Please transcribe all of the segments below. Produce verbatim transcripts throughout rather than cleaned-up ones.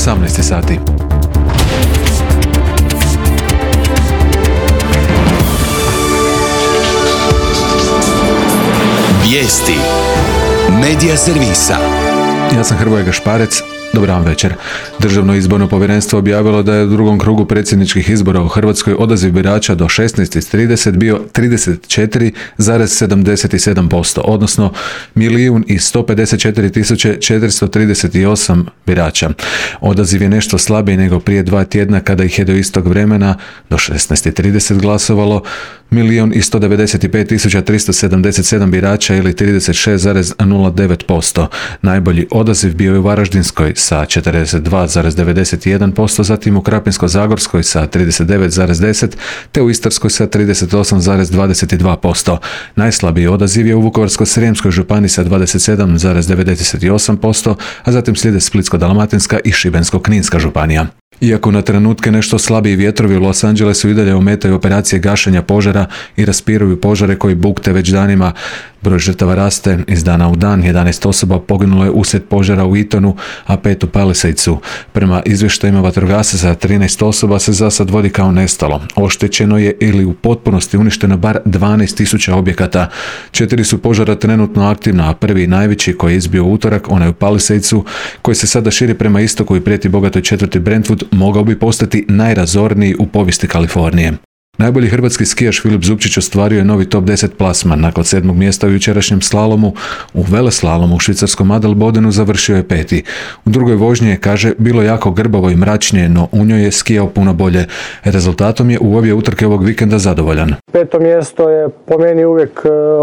osamnaest sati. Vijesti Medija servisa. Ja sam Hrvoje Gašparec. Dobar vam večer. Državno izborno povjerenstvo objavilo da je u drugom krugu predsjedničkih izbora u Hrvatskoj odaziv birača do šesnaest trideset bio trideset četiri zarez sedamdeset sedam posto, odnosno milijun i sto pedeset četiri tisuće četiristo trideset osam birača. Odaziv je nešto slabiji nego prije dva tjedna kada ih je do istog vremena do šesnaest trideset glasovalo milijun i sto devedeset pet tisuća tristo sedamdeset sedam birača ili trideset šest zarez nula devet posto. Najbolji odaziv bio je u Varaždinskoj sa četrdeset dva zarez devedeset jedan posto, zatim u Krapinsko-zagorskoj sa trideset devet zarez deset te u Istarskoj sa trideset osam zarez dvadeset dva posto. Najslabiji odaziv je u Vukovarsko-srijemskoj županiji sa dvadeset sedam zarez devedeset osam posto, a zatim slijede Splitsko-dalmatinska i Šibensko-kninska županija. Iako na trenutke nešto slabiji vjetrovi u Los Angelesu i dalje ometaju operacije gašenja požara i raspiruju požare koji bukte već danima, broj žrtava raste iz dana u dan. jedanaest osoba poginulo je uslijed požara u Etonu, a pet u Palisadesu. Prema izvještajima vatrogasaca, trinaest osoba se za sad vodi kao nestalo. Oštećeno je ili u potpunosti uništeno bar dvanaest tisuća objekata. Četiri su požara trenutno aktivna, a prvi i najveći koji je izbio u utorak, onaj u Palisadesu, koji se sada širi prema istoku i prijeti bogatoj četvrti Brentwood, mogao bi postati najrazorniji u povijesti Kalifornije. Najbolji hrvatski skijaš Filip Zupčić ostvario je novi top deset plasman. Nakon sedmog mjesta u jučerašnjem slalomu, u veleslalomu u švicarskom Adelbodenu završio je peti. U drugoj vožnji je, kaže, bilo jako grbavo i mračnije, no u njoj je skijao puno bolje. Rezultatom je u obje utrke ovog vikenda zadovoljan. Peto mjesto je po meni uvijek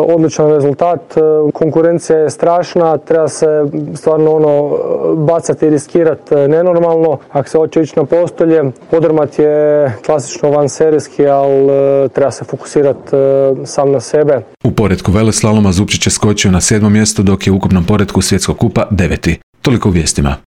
odličan rezultat. Konkurencija je strašna, treba se stvarno ono bacati i riskirati nenormalno. Ako se hoće ići na postolje, podrmat je klasično vanserijski, ali treba se fokusirati sam na sebe. U poretku veleslaloma Zupčić je skočio na sedmo mjesto, dok je u ukupnom poretku svjetskog kupa deveti. Toliko u vijestima.